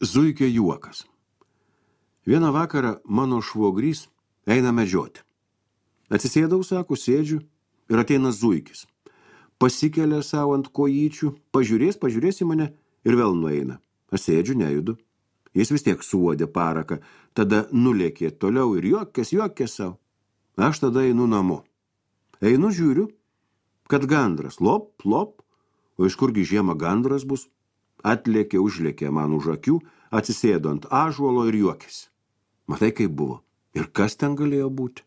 Zuikio juokas. Vieną vakarą mano švogrys eina medžioti. Atsisėdau, sako, sėdžiu ir ateina zuikis. Pasikelia savo ant kojyčių, pažiūrės į mane ir vėl nueina. Aš sėdžiu, nejudu. Jis vis tiek suodė paraką, tada nulėkė toliau ir juokės savo. Aš tada einu namo. Einu, žiūriu, kad gandras, lop, o iš kurgi žiemą gandras bus? Atlėkė, užlėkė man už akių, atsisėdo ant ąžuolo ir juokėsi. Matai, kaip buvo. Ir kas ten galėjo būti?